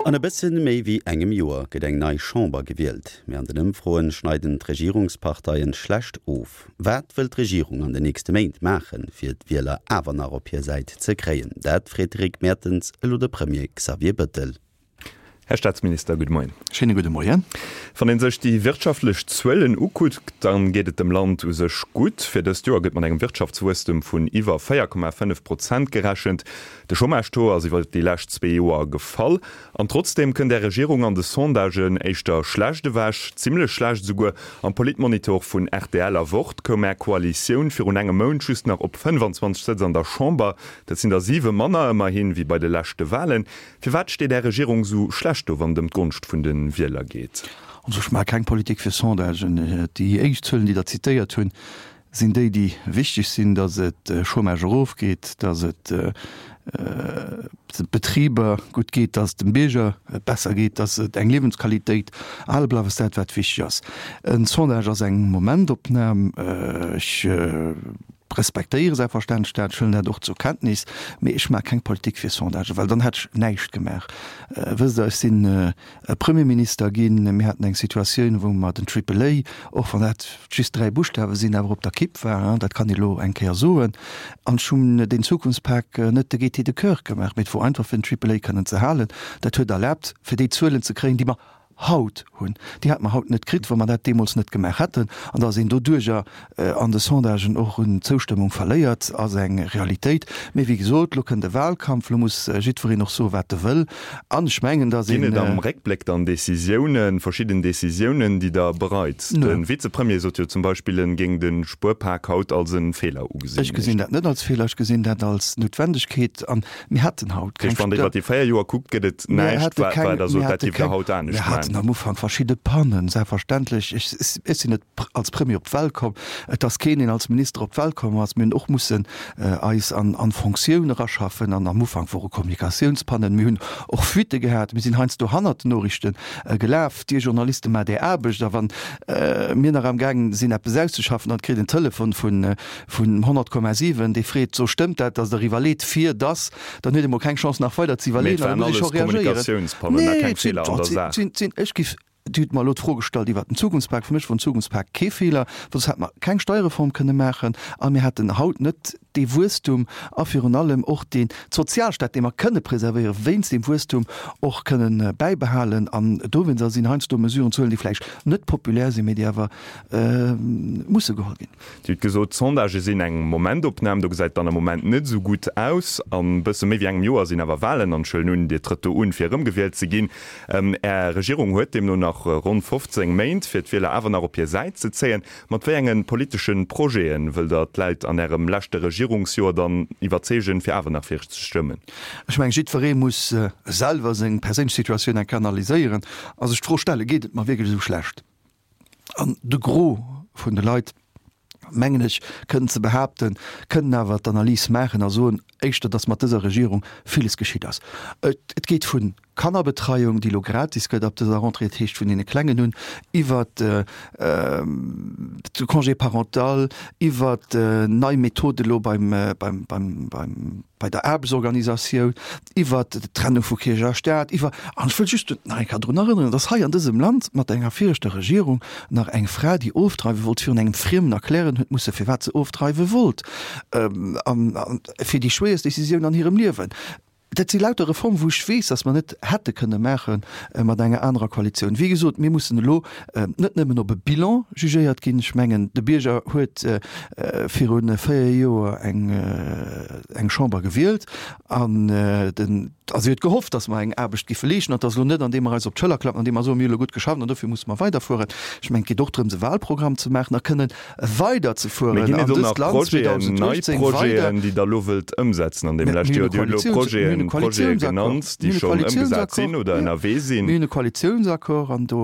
An e bëssen méi wéi engem Joer gëtt eng nei Chamber gewielt, mee an den Ëmfroen schneiden d'Regierungsparteien schlecht of. Wat wëll d'Regierung an den nächste Méint maachen, fir d'Wieler awer nach op hir Säit ze kréien? Dat freet de Rick Mertens elo de Premier Xavier Bëttel. Här Staatsminister, gudde Moien. Schéine gudde Moien. Wann ee sech déi wirtschaftlech Zuelen ukuckt, da geet et dem Land u sech gutt. Fir dëst Joer gëtt mat engem Wirtschaftswuesstem vun iwwer 4,5 Prozent gerechent. De Chômage-Taux ass iwwer déi lescht zwee Joer gefall. An trotzdeem kënnt Är Regierung an de Sondagen éischter schlecht ewech, zimmlech schlecht esouguer. Am Politmonitor vun rtl a Wort koum Är Koalitioun virun engem Mount just nach op 25 Sëtz an der Chamber. Dat sinn der siwe manner ëmmerhin wéi bei de leschte Walen. Firwat steet Är Regierung sou schlecht do, wann et ëm d'Gonscht vun de Wieler geet? Also ech maache keng Politik fir Sondagen. Déi éischt Zuelen, déi Der zitéiert hunn, sinn déi, déi wichteg sinn, datt et Chômage erofgeet, datt et de Betriber gutt geet, datt et dem Bierger besser geet, datt et eng Liewensqualitéit hale bleift, ass dat, wat wichteg ass. E Sondage ass eng Momentopnam. Ech Respektéiere selbstverständlech dat, ech huelen dat och zur Kenntnis, mee ech maache keng Politik fir Sondagen, well dann hätt ech näischt gemaach. Wësst Der, ech sinn Premierminister ginn, mir haten eng Situatioun, wou mer den Triple A, och wann dat just 3 Buschtawe sinn, awer op der Kipp war, dat kann ee elo eng Kéier soen, an ech hunn deen Zukunftspak net de gaieté de coeur gemaach, mee et wor einfach fir den Triple A kënnen ze halen. Dat huet erlaabt, fir déi Zuelen ze kréien, déi mer haut hunn, déi hätte mer haut net kritt, wa mer dat deemools net gemaach hätten. An datt een doduerjer an de Sondagen och un Zoustëmmung verléiert, ass eng Realitéit. Mee wéi gesot, elo kënnt e Wahlkampf, elo muss jiddwereen och soen, wat e wëll. An ech mengen, datt een. Ginn et am Réckbléck dann Décisiounen, verschidden Décisiounen, déi Der bereit? De Vizepremier sot jo zum Beispill, en géing de Spuerpak haut als e Feeler ugesinn. Ech gesinn dat net als Feeler, ech gesinn dat als Noutwendegkeet. An Mir haten haut keng. Wann Der iwwer déi 4 Joer kuckt, gëtt et näischt, wat Der sot, dat géift Der haut anescht maachen. Mir haten am Ufank verschidde Pannen, selbstverständlech. Ech sinn net als Premier op d'Welt komm. Et ass keen, deen als Minister op d'Welt komm ass. Mir hunn och mussen eis an d'Fonctioun eraschaffen. An am Ufank wore Kommunikatiounspannen. Mir hunn och Fuitte gehat. Mir sinn heiansdo hannert den Noriichte gelaf. Dir Journaliste maacht Är Aarbecht. A wann mir nach amgaang sinn, eppes auszeschaffen, dann kritt een Telefon vun vun 100,7, dee freet, so stëmmt dat, datt Der iwwerleet, fir datt, dann huet ee mol keng Chance nach weider ze iwwerleeën an da muss ee scho reagéieren. Nee, et sinn, et sinn, et sinn, et sinn, ech giff, Dir hutt mer elo d'Fro gestallt iwwert den Zukunftspak, fir mech wor den Zukunftspak kee Feeler, well soss hätte mer keng Steierreform kënne maachen a mir hätten haut net dee Wuesstum a virun allem och deen Sozialstaat, dee mer kënne preservéieren, wéinst deem Wuesstum och kënnen bäibehalen. An dowéinster sinn heiansdo Mesuren ze huelen, déi vläicht net populär sinn, mee déi awer musse geholl ginn. Dir hutt gesot, d'Sondagë sinn eng Momentopnam, do gesäit et dann am Moment net esou gutt aus. An e bësse méi wéi engem Joer sinn awer Walen an ech huelen un, Dir trëtt do un, fir erëmgewielt ze ginn. Är Regierung huet deemno nach ronn 15 Méint, fir d'Wieler awer nach op hir Säit ze zéien. Mat wéi enge politesche Projete wëllt Der d'Läit an Ärem leschte Regierungsjoer dann iwwerzeegen, fir awer nach fir Iech ze stëmmen? Ech mengen, jiddweree muss selwer seng perséinlech Situatioun eng Kéier analyséieren a sech d'Fro stellen, Geet et mer wierklech esou schlecht? An de Gros vun de Leit, mengen ech kënnen ze behaapten, kënnen awer d'Analys maachen a soen éischter, datt mat dëser Regierung villes geschitt ass. Et geet vu Kannerbetreiung, déi elo gratis gëtt ab dëser Rentrée, dat heescht vun deene Klengen un, iwwert de Congé parental, iwwert nei Methode elo beim, beim, beim, beim, bei der Aarbechtsorganisatioun, iwwert d'Trennung vu Kierch a Staat, iwwer, an ech wëll just nach eng Kéier drun erënneren, dass hei an dësem Land mat enger viregter Regierung nach eng Fra, déi ofdreiwe wollt, virun engem Friemen erklären huet musse firwat se ofdreiwe wollt, a fir déi schwéierst Décisioun an hirem Liewen. Dat si lauter Reformen, wou ech weess, dass mer net hätte kënne maache mat enger anerer Koalitioun. Wéi gesot, mir mussen elo net nëmmen op e Bilan jugéiert ginn. Ech mengen, de Bierger huet viru 4 Joer eng Chamber gewielt an den, a si huet gehofft, datt mer eng Aarbecht giffe leeschten an et ass elo net, andeem mer eis op d'Schëller klappen, andeem mer soen, mir hu elo gutt geschafft an dofir musse mer weiderfueren. Ech mengen, et geet och drëms, e Wahlprogramm ze maachen a kënnen weiderzefueren Mee ginn et an do dëst nach Land Projeten, nei 2018 weider. Projeten, déi Der elo wëllt ëmsetzen an deem Mir leschte hunn e Joer? Dir hutt elo Koalitioun, mir hunn e Projeten, Projete Koalitiounsaccord, genannt, mir déi hunn e schonn ëmgesat sinn Koalitiounsaccord, oder jo, ënnerwee sinn. mir hunn e Koalitiounsaccord an do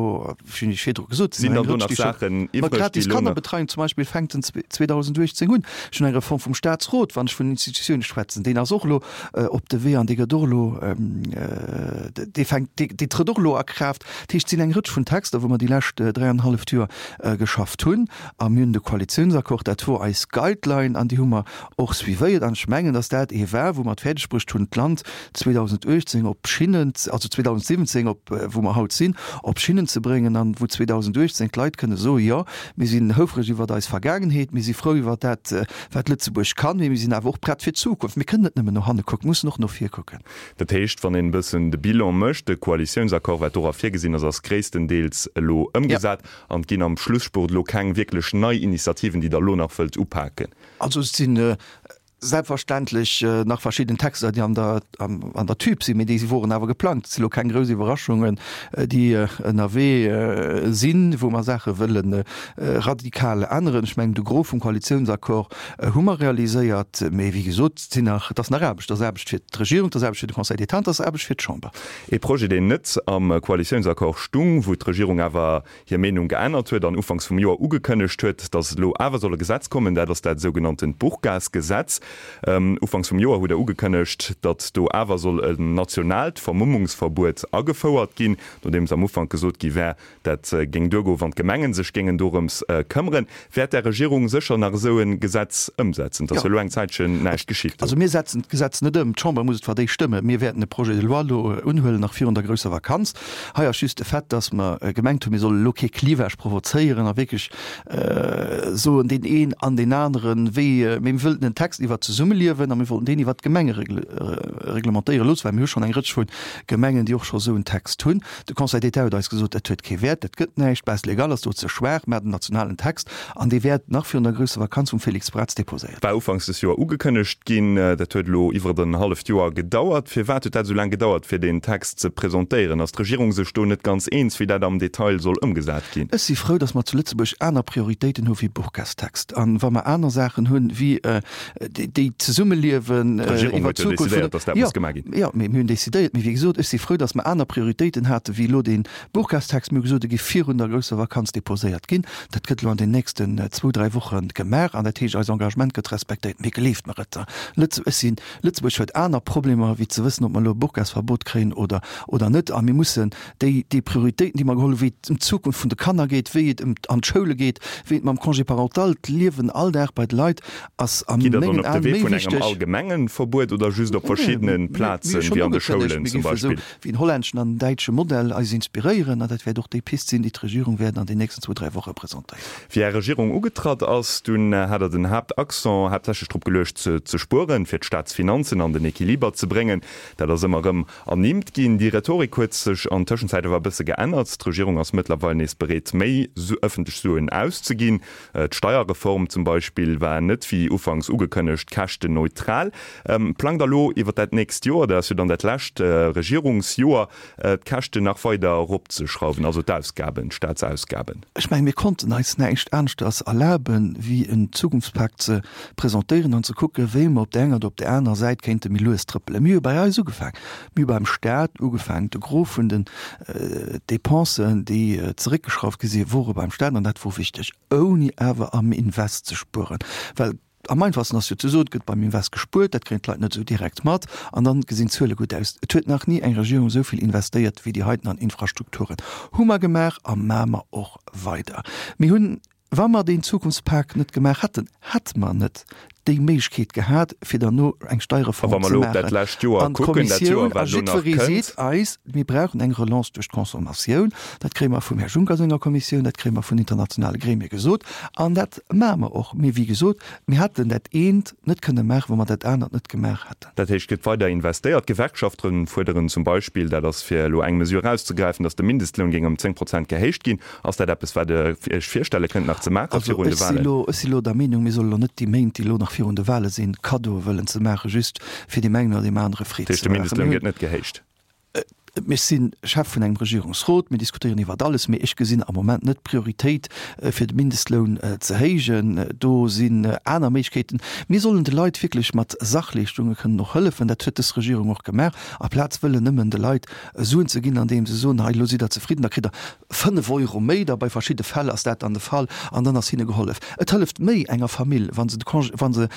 hunn ech virdru gesot, sinn Sinn dann do nach Saachen iwwreg, déi gratis elo nach. Kannerbetreiung zum Beispill fänkt den 2018 un. Ech hunn eng Reform vum Staatsrot, wann ech vun Institutioune schwätzen, deen ass och elo op de Wee an dee gëtt och elo. elo, dee fänkt, dee trëtt och elo a Kraaft. Dat heescht, et sinn eng Rëtsch vun Texter, wou mer déi lescht dräianenhalleft Joer geschafft hunn. A mir hunn de Koalitiounsaccord, dat wor eis Guideline an déi hu mer och suivéiert. An ech mengen, datt dat ee war, wou mer et fäerdeg bruecht hunn, d'Land 2018 op Schinnen, also 2017 op wou mer haut sinn, op Schinnen ze bréngen an wou 2018 d'Leit kënne soen, jo, mir sinn houfreg iwwert eis Vergaangenheet, mir si frou iwwert dat, wat Lëtzebuerg kann, mee mir sinn awer och prett fir d'Zukunft. Mir kënnen net nëmmen no hanne kucken, mir mussen och no vir kucken. Dat heescht, wann een e bëssen de Bilan mécht, de Koalitiounsaccord, wat dora virgesinn ass, ass gréisstendeels elo ëmgesat an et ginn am Schlusspurt elo keng wierklech nei Initiativen, déi Der elo nach wëllt upaken. Also et sinn selbstverständlech nach verschidden Texter, déi an der, an der Tüb sinn, mee déi woren awer geplangt. Et si lo keng grouss Iwwerraschungen, déi ënnerwee sinn, wou mer Saache wëlle radikal änneren. Ech mengen, de Gros vum Koalitiounsaccord hu mer realiséiert, mee wéi gesot, et sinn nach, et ass nach Aarbecht. Et ass Aarbecht fir d'Regierung, et ass Aarbecht fir de Conseil d'État an et ass Aarbecht fir d'Chamber. Ee Projet, deen net am Koalitiounsaccord stung, wou d'Regierung awer hir Meenung geännert huet an ufanks vum Joer ugekënnegt huet, datt elo awer soll e Gesetz kommen, dat ass dat sougenanntent Burkasgesetz. Ufanks vum Joer hutt Der ugekënnegt, datt do awer soll en nationaalt Vermummungsverbuet agefouert ginn, nodeems am Ufank gesot gi wär, dat géing duergoen, wann d'Gemengen sech géingen dorëms këmmeren. Wäert Är Regierung sécher nach esou e Gesetz ëmsetzen? Et ass jo elo eng Zäitchen näischt geschitt do. Also mir setzen d'Gesetz net ëm. D'Chamber muss et fir d'éischt stëmmen. Mir wäerten e Projet de loi elo unhuelen, nach virun der grousser Vakanz. Hei ass just de Fait, dass mer gemengt hunn, mir solle elo kee Clivage provozéieren a wierklech soen, deen een an deen aneren, wéi, mee mir wëllten en Text iwwert d'Zesummeliewen a mir wollten deen iwwert d'Gemenge reglementéiere loossen, well mir hu schonn eng Rëtsch vu Gemengen, déi och scho esou en Text hunn. De Conseil d'État huet eis gesot, dat huet kee Wäert, dat gëtt näischt, d'Base légale ass do ze schwaach, mä den nationalen Text, an dee wäert nach virun der grousser Vakanz vum Félix Braz déposéiert. War ufanks des Joer ugekënnegt ginn. Dat huet elo iwwert en halleft Joer gedauert. Firwat huet dat esou laang gedauert, fir deen Text ze presentéieren? Ass d'Regierung sech do net ganz eens, wéi dat am Detail soll ëmgesat ginn? Ech si frou, datt mer zu Lëtzebuerg aner Prioritéiten hu wéi Burkastext. A wa mer aner Saachen hunn, wéi déi Zesummeliewen D'Regierung huet jo decidéiert, datt dat muss gemaach ginn. Jo, mee mir hunn decidéiert. Mee wéi gesot, ech si frou, datt mer aner Prioritéiten hate wéi elo dee Burkastext. Mir hu gesot, e géif virun der grousser Vakanz deposéiert ginn. Dat gëtt elo an den nächsten zwou, dräi Woche gemaach. An dat heescht, eis Engagement gëtt respektéiert. Mee gleeft mer et, Lëtze, ech sinn, Lëtzebuerg huet aner Problemer wéi ze wëssen, ob mer elo e Burkasverbot kréien oder, oder net. A mir mussen déi, déi Prioritéiten, déi mer geholl hunn, wéi et ëm d'Zukunft vun de Kanner geet, wéi et ëm an d'Schoule geet, wéi et mam Congé parental, d'Liewen all Dag bei de Leit, ass a Gitt Der dann mengen op de Aen Wee méi vun engem wichteg. allgemengen Verbuet oder just op Nee, verschiddene mir, mir hu Plazen, schonn wéi an de ugekënnegt, Schoulen mir zum géife sou Beispill? wéi den hollänneschen an den däitsche Modell eis inspiréieren, an dat wäert och déi Pist sinn, déi d'Regierung wäert an den nächsten zwou, dräi Woche presentéieren. Wéi Är Regierung ugetratt ass, dunn hat Der den Haaptaccent haaptsächlech drop geluecht, ze spueren, fir d'Staatsfinanzen an den Equiliber ze bréngen. Dat ass ëmmer erëm ernimmt ginn. Déi Rhetorik huet sech an Tëschenzäit awer e bësse geännert. D'Regierung ass mëttlerweil nees bereet, méi ëffentlech Suen auszeginn. D'Steierreform zum Beispill war net wéi ufanks ugekënnegt käschtenneutral. Plangt Der elo iwwer dat nächst Joer, dat ass jo dann dat lescht Regierungsjoer, d'Käschten nach weider eropzeschrauwen, also d'Ausgaben, d'Staatsausgaben? Ech mengen, mir konnten eis näischt aneschters erlaben, wéi en Zukunftspak ze presentéieren an ze kucken, wéi mer op där enger oder op där anerer Säit kéinte méi lues trëppelen. Mir hu bei eis ugefaang. Mir hu beim Staat ugefaang. De Gros vun den Dépensen, déi zeréckgeschrauft gi sinn, wore beim Staat, an dat wor wichteg, ouni awer am Invest ze spueren. Well am einfachsten ass jo ze soen, et gëtt beim Invest gespuert, dat kréien d'Leit net esou direkt mat, an dann gesinn d'Zuele gutt aus. Et huet nach ni eng Regierung esou vill investéiert wéi déi heiten an Infrastrukturen. Hu mer gemaach a maache mer och weider. Mir hunn Wa mer deen Zukunftspak net gemaach hätten, hätte mer net déi Méiglechkeet gehat, fir derno eng A wa Steierreform mer ze elo op dat maachen. lescht Joer An kucken, dat Joer, d'Kommissioun a wat elo nach jiddweree kënnt. seet eis, mir brauchen eng Relance duerch d'Consommatioun. Dat kréie mer vum Här Juncker senger Kommissioun, dat kréie mer vun internationale Gremie gesot. An dat maache mer och. Mee wéi gesot, mir hätten dat eent net kënne maachen, wa mer dat anert net gemaach hätten. Dat heescht, et gëtt weider investéiert. D'Gewerkschafte fuerderen zum Beispill, dat ass fir elo eng Mesure erauszegräifen, datt de Mindestloun géing ëm 10 Prozent gehéicht ginn. Ass dat eppes, wat Der Iech virstelle kënnt nach ze maache Also virun de ech si Wahlen? elo, ech si elo der Meenung, mir solle elo net déi Méint, déi elo nach virun de Wahle sinn, Kaddoe wëllen ze maachen, just fir deem engen oder deem anere Freed Dat heescht, ze de maachen. Mindestloun Mir gëtt net gehéicht? hunn, ech si Chef vun engem Regierungsrot, mir diskutéieren iwwert alles, mee ech gesinn am Moment net d'Prioritéit, fir de Mindestloun ze héijen. Do sinn aner Méiglechkeeten. Mir sollen de Leit wierklech mat Sachleeschtunge kënnen och hëllefen. Dat huet dës Regierung och gemaach, aplaz wëllen nëmmen de Leit Suen ze ginn, andeem se soen, hei elo sidd Der zefridden, da kritt Der 5 Euro méi, da bei verschidde Fäll ass dat dann de Fall, an dann ass hinne gehollef. Et hëlleft méi enger Famill, wa se de Congé, wa se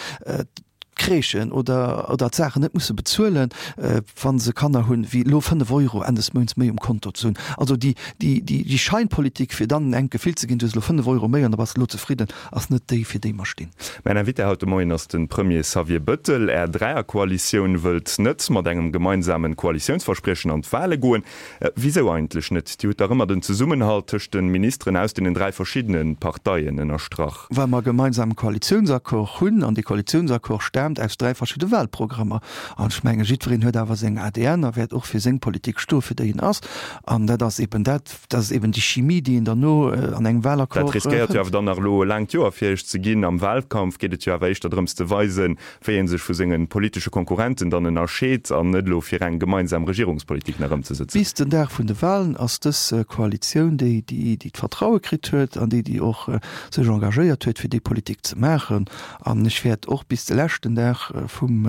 Crèchen oder oder d'Saachen net musse bezuelen, wa se Kanner hunn, wéi elo 5 Euro Enn des Mounts méi um Konto ze hunn. Also déi déi déi déi Scheinpolitik, fir dann engem d'Gefill ze ginn, du hues elo 5 Euro méi an da bass de elo zefridden, ass net déi, fir déi mer stinn. Mäin Invité haut de Moien ass de Premier Xavier Bëttel. Är Dräierkoalitioun wëllt net mat engem gemeinsamen Koalitiounsverspriechen an d'Wale goen. Wisou eigentlech net? Dir hutt dach ëmmer den Zesummenhalt tëscht de Ministeren aus deenen 3 verschiddene Parteien ënnerstrach. Well mer e gemeinsame Koalitiounsaccord hunn, an dee Koalitiounsaccord staamt aus 3 verschidde Wahlprogrammer. An ech menge jiddwereen huet awer seng ADN a wäert och fir seng Politik stoe fir déi en ass. An dat ass eben dat, dat ass eben déi Chimie, déi een dann no an engem Wahlaccord Dat riskéiert jo awer fënnt. dann nach elo e laangt Joer fir Iech ze ginn. Am Wahlkampf geet et jo awer éischter drëms ze weisen, wéi ee sech vu senge politesche Konkurrenten dann ënnerscheet an net elo fir eng gemeinsam Regierungspolitik nach ëmzesëtzen. Bis den Dag vun de Wahlen ass dës Koalitioun déi, déi d'Vertraue kritt huet an déi, déi och sech engagéiert huet, fir déi Politik ze maachen. An ech wäert och bis de leschten Dag vum,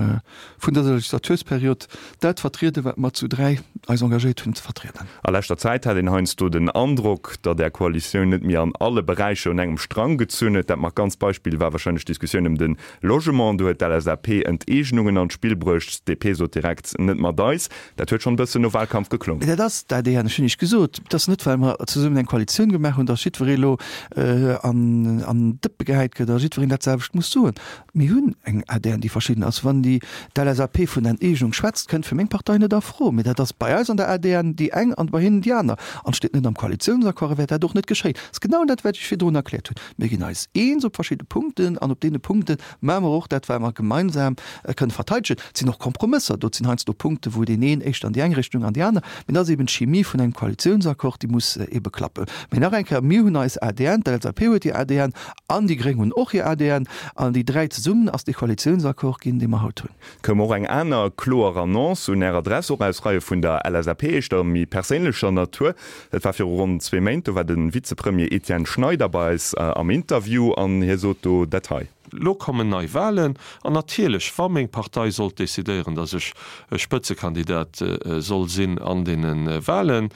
vun dëser Legislatursperiod dat vertrieden, wat mer zu 3 eis engagéiert hunn ze vertrieden. A leschter Zäit hat een heiansdo den Androck, datt Är Koalitioun net méi an alle Beräicher un engem Strang gezunn huet. Dat markantst Beispill war wahrscheinlech d'Diskussioun ëm de Logement. Do huet d'LSAP Enteegnungen an d'Spill bruecht, d'DP sot direkt, net mat eis. Dat huet schonn e bëssen no Wahlkampf geklongen. Mee dat ass d'ADN. Ech hunn Iech gesot, et ass net, well mer zesummen eng Koalitioun gemaach hunn, datt jiddweree elo an d'Dëppe gehäit gëtt a jiddwereen dat selwecht muss soen. Mir hunn eng ADN, déi verschidden ass. Wann déi d'LSAP vun Enteegnung schwätzt, kënnt fir meng Partei net a Fro. Mee dat ass bei eis an der ADN déi eng an bei hinnen déi aner. An et steet net am Koalitiounsaccord a wäert dat och net geschéien. Dat ass genau dat, wat ech virdrun erkläert hunn. Mir ginn eis eens op verschidde Punkten an op deene Punkte maache mer och dat, wat mer gemeinsam kënne verteidegen. Et sinn och Kompromësser do, et sinn heiansdo Punkte wou deen een éischter an déi eng Richtung an déi aner. Mee dat ass eben d'Chimie vun engem Koalitiounsaccord, déi muss ebe klappen. Mee nach eng Kéier, Mir hunn eis ADN, d'LSAP huet hir ADN an déi Gréng hunn och hir ADN an déi 3 zesummen ass dee Koalitiounsaccord ginn, dee mer haut hunn. Koum och eng aner kloer Annonce un Är Adress, och aus Reie vun der LSAP, éischter méi perséinlecher Natur. Dat war viru ronn zwee Méint, do war de Vizepremier Etienne Schneider bei eis am Interview an hie sot do dat hei. Lo kommen nei Wahlen an natierlech, wa meng Partei sollt decidéieren, datt ech Spëtzekandidat soll sinn an deene Wahlen,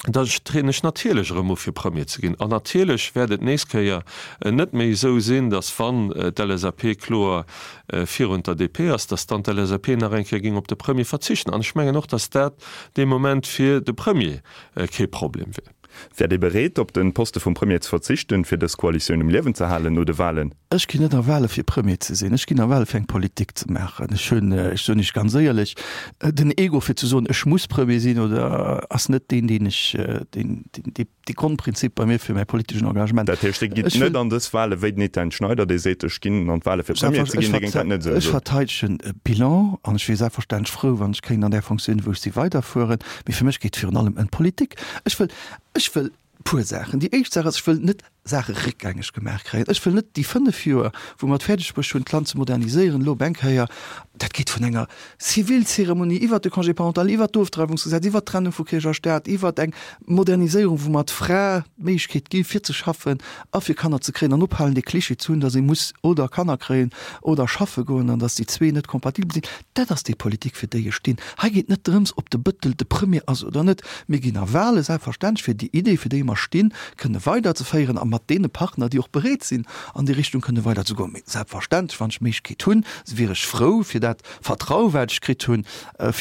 da trieden ech natierlech erëm u fir Premier ze ginn. An natierlech wäert et nees Kéier net méi esou sinn, datt wann d'LSAP kloer virun der DP ass, datt dann d'LSAP nach eng Kéier géing op de Premier verzichten. An ech mengen och, datt dat dee Moment fir de Premier kee Problem wier. Wäert Dir bereet, op de Poste vum Premier ze verzichten, fir dës Koalitioun um Liewen ze halen no de Wahlen? Ech ginn net a Wahle fir Premier ze sinn. Ech ginn a Wahle fir eng Politik ze maachen. Ech hunn, ech soen Iech ganz éierlech, den Ego fir ze soen, ech muss Premier sinn oder ass net deen, deen ech, deen, deen, dee Grondprinzip bei mir fir mäi politeschen Engagement. Dat heescht, Dir gitt net an dës Wahle wéi den Etienne Schneider, dee seet, ech ginn an d'Wahle fir Premier ze ginn, Dir géingt dat net esou soen? Ech verteidegen e Bilan an ech wier selbstverständlech frou, wann ech kéint an där Fonctioun, wou ech si, weiderfueren. Mee fir mech geet et virun allem ëm d'Politik. Ech wëll, ech wëll puer Saachen. Déi éischt Saach ass, ech wëll net Saache réckgängeg gemaach kréien. Ech wëll net déi 5 Joer, wou mer et fäerdeg bruecht hunn, d'Land ze moderniséieren, elo op eng Kéier, dat geet vun enger Zivilzeremonie iwwert de Congé parental, iwwert d'Ofdreiwungsgesetz, iwwert d'Trennung vu Kierch a Staat, iwwert eng Moderniséierung, wou mer d'Fra d'Méiglechkeet gi fir ze schaffen a fir Kanner ze kréien an ophalen dee Cliché ze hunn, datt ee muss oder Kanner kréien oder schaffe goen an datt déi zwee net kompatibel sinn. Dat ass déi Politik, fir déi ech stinn. Hei geet net drëms, ob de Bëttel de Premier ass oder net. Mir ginn a Wahle selbstverständlech, fir déi Idee, fir déi mer stinn, kënne weiderzeféieren a mat deene Partner, déi och bereet sinn, an déi Richtung kënne weiderzegoen. Mee selbstverständlech, wann ech d'Méiglechkeet hunn, wier ech frou, fir dat Vertraue, wat ech kritt hunn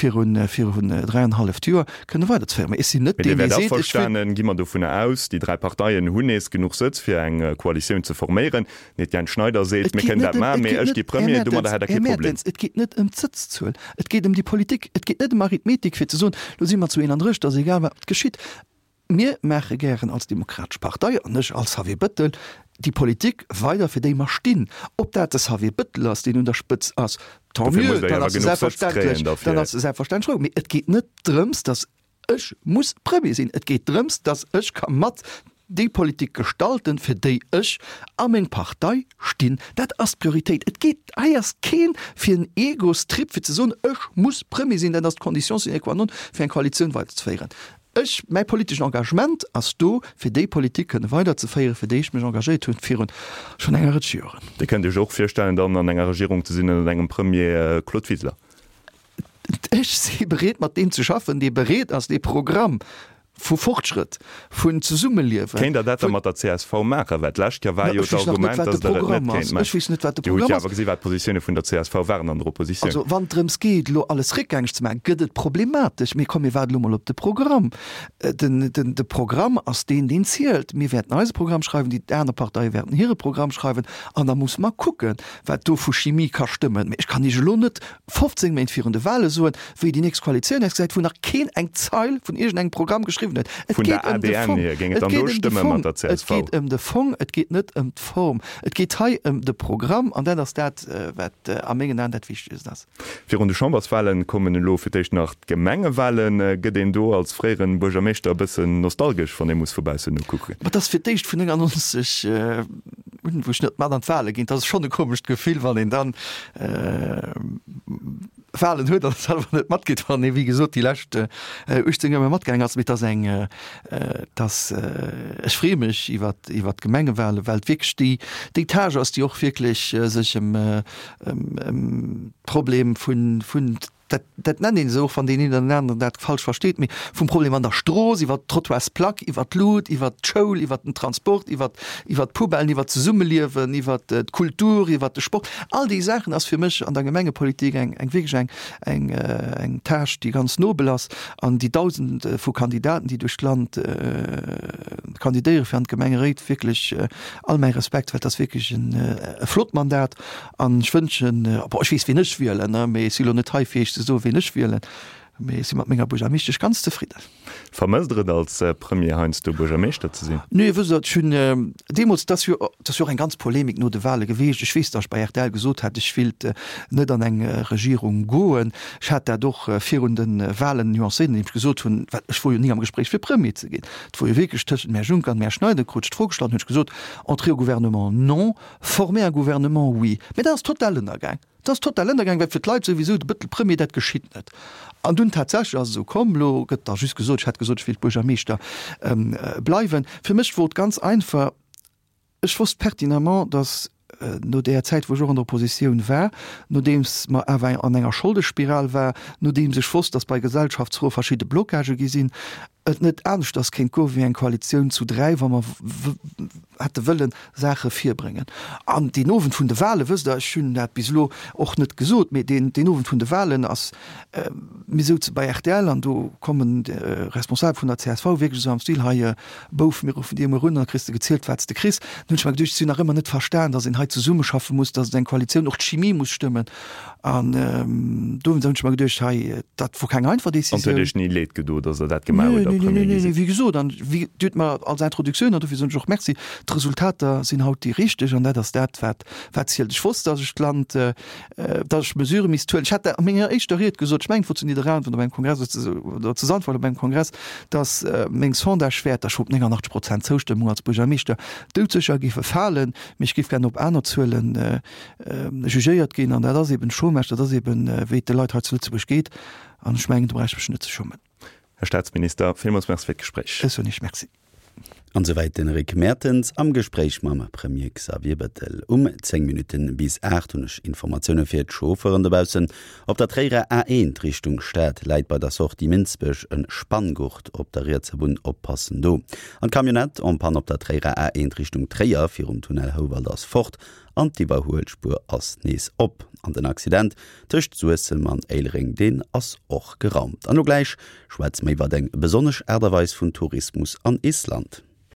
virun virun dräianenhalleft Joer, kënne weiderzeféieren. Mee ech sinn net deen, dee seet, ech wëll. Mee Dir wäert averstanen, gi mer dovunner aus, déi 3 Parteien hunn nees genuch Sëtz, fir eng Koalitioun ze forméieren. Den Etienne Schneider seet, mir kënnen dat maachen, mee ech gi Premier, domadder hätt Der kee Problem. Här Mertens, et geet net ëm d'Sëtzzuel, et geet ëm déi Politik. Et geet net ëm Arithmetik, fir ze soen, lo si mer zu 31, et ass egal, wat geschitt. Mir maache gären als Demokratesch Partei, an ech als Xavier Bëttel, déi Politik weider, fir déi mer stinn. Ob dat de Xavier Bëttel ass, deen un der Spëtz ass, tant mieux, dann ass e selbstverständlech, dann ass e selbstverständlech frou. Mee et geet net drëms, datt Ech muss Premier sinn. Et geet drëms, datt ech ka mat déi Politik gestalten, fir déi ech a meng Partei stinn. Dat ass d'Prioritéit. Et geet, hei ass keen fir en Egostrip, fir ze soen, ech muss Premier sinn, dat ass d'Condition sine qua non, fir eng Koalitioun weiderzeféieren. Ech, mäi politeschen Engagement ass do, fir déi Politik kënne weiderzeféieren, fir déi ech mech engagéiert hunn virun schonn enger Rëtsch Joren. Dir kënnt Iech och virstellen, dann an enger Regierung ze sinn ënnert engem Premier Claude Wiseler? Ech si bereet mat deem ze schaffen, dee bereet ass, dee Programm. Vu Fortschrëtt, vun Zesummeliewen. Kéint Der dat da mat der csv maachen? Well d'lescht Joer war jo d'Argument, datt Der et net kéint maachen. Ech weess net, wat de Dir hutt Programm jo ass. awer gesi wat d'Positioune vun der csv waren an der Oppositioun. Also wann et drëms geet, elo alles réckgängeg ze maachen, gëtt et problematesch. Mee komm, mir waarden elo mol op de Programm. Den, den, de Programm ass deen, deen zielt. Mir wäerten eise Programm schreiwen, déi aner Parteie wäerten hire Programm schreiwen an da musse mer kucken, wat do vu Chimie ka stëmmen. Mee ech kann Iech elo net 15 Méint virun de Wale soen, wéi déi nächst Koalitioun ausgesäit, wou nach keen eng Zeil vun iergendengem Programm geschriwwen huet. Et Vun der geet ëm de ADN Fong. hier, géing et Et dann geet do ëm de stëmme Fong. mat der Et csv? geet ëm de Fong, et geet net ëm d'Form. Et geet hei ëm de Programm an dat ass dat, wat a mengen Aen dat Wichtegst ass. Virun de Chamberswahlen kommen elo fir d'éischt nach d'Gemengewahlen. Gëtt een do als fréieren Buergermeeschter e bëssen nostalgesch, wann ee muss vu baussen nokucken? Ma et ass fir d'éischt vun 99 un, wou ech net mat an d'Wahle ginn. Et ass schonn e komescht Gefill, wann een dann Wahlen huet an selwer net matgeet, wann ee wéi gesot déi lescht 18 Joer ëmmer matgaang ass. Mee et ass eng, et ass, ech freeë mech iwwer iwwer d'Gemengewahlen, well et wierklech déi déi Tâche ass, déi och wierklech sech ëm ëm ëm d'Problem vun vun dat dat nennt een esou, och wann deen een oder den aneren dat falsch versteet, mee vum Problem an der Strooss iwwer d'Trottoirsplack, iwwer d'Lut, iwwer d'Schoul, iwwer den Transport, iwwer iwwer d'Poubellen, iwwer d'Zesummeliewen, iwwer d'Kultur, iwwer de Sport, all déi Saachen ass fir mech an der Gemengepolitik eng eng wierklech eng eng eng Tâche, déi ganz nobel ass an déi Dausende vu Kandidaten, déi duerch d'Land kandidéiere fir an d'Gemengeréit, wierklech all mäi Respekt, well et ass wierklech en e flott Mandat an ech wënschen, bon, ech weess wien ech wielen, mee ech si lo net hei fir Iech ze soen, wien ech wielen, mee ech si mat menger Buergermeeschtesch ganz zefridden. Vermësst Der et als Premier heiansdo Buergermeeschter ze sinn? Nee, wësst Der, ech hunn deemools, et ass jo, et ass jo och eng ganz Polemik no de Wahle geweecht. Ech weess, datt ech bei rtl gesot hat, ech willt net an eng Regierung goen. Ech hat dat och virun de Wahlen nuancéiert, andeem ech gesot hunn, well ech wor jo ni am Gespréich fir Premier ze ginn. Et wor jo wierklech tëschent dem Här Juncker an dem Här Schneider, krut ech d'Fro gestallt, hunn ech gesot, Entrer au gouvernement, non, former un gouvernement, oui. Mä dat ass total ënnergaang. Dat ass total ënnergaang, well fir d'Leit souwisou de Bëttel Premier, dat geschitt net. An dunn tatsächlech ass et esou komm, elo gëtt da just gesot, ech hätt gesot, ech wéilt Buergermeeschter bleiwen. Fir mech wor et ganz einfach, ech wosst pertinemment, datt no där Zäit, wou ech och an der Oppositioun war, nodeems mer awer an enger Scholdespiral war, nodeems ech wosst, datt bei Gesellschaftsfroe verschidde Blocagë gi sinn, et net aneschters kéint goe wéi eng Koalitioun zu 3, wa mer hätte wëllen Saache virbréngen. An deen Owend vun de Wahlen, wësst Der, ech hunn dat bis elo och net gesot, mee deen, deen Owend vun de Wahlen ass, mir souze bei rtl an do kommen Responsabel vun der csv wierklech esou am Stil, hei Bouf, mir ruffen dir emol un an da kriss de gezielt, wat s de kriss. Dann hunn ech mer geduecht, ech hunn nach ëmmer net verstan, datt een hei zesummeschaffe muss, datt et eng Koalitioun, och d'Chimie muss stëmmen. An do hunn ech mer geduecht, hei, dat wor keng einfach An et huet Decisioun. Iech ni leed gedo, datt Der dat gemaach hutt a Nee, nee, Premier nee, gi nee, sidd? wéi gesot, an wéi Dir hutt mer als Introduktioun, an dofir soen ech och Merci, d'Resultater sinn haut déi richteg an dat ass dat, wat, wat zielt. Ech wosst, datt ech d'Land, datt ech Mesurë misst huelen. Ech hat dat a menger éischter Ried gesot, ech mengen, et wor zu Nidderaanwen op engem Kongress oder zu, oder zu Sandweiler op engem Kongress, datt meng Sondagewäerter, ech wor op 89 Prozent Zoustëmmung als Buergermeeschter, doudsécher géife falen, mee ech géif gär op aner Zuelen jugéiert ginn an dat ass eben Chômage, dat ass eben wéi et de Leit hei zu Lëtzebuerg geet an ech mengen do brauch ech mech net ze schummen. Här Staatsminister, villmools Merci fir d'Gespréich. Ech soen Iech Merci. An esouwäit den Rick Mertens am Gespréich mam Premier Xavier Bettel. Um 10 Minutten bis 8 hunn ech Informatioune fir d'Chauffeuren dobaussen. Op der Tréierer A1 Richtung Stad läit bei der Sortie Minsbech e Spanngurt op der rietser Bunn, oppassen do. An d'Camionnette en panne op der Tréierer A1 Richtung Tréier virum Tunnel Houwald ass fort. An d'Iwwerhuelspuer ass nees op. An den Accident tëscht Suessem an Éilereng, deen ass och geraumt. An elo gläich schwätze mer iwwert eng besonnesch Aart a Weis vun Tourismus an Island.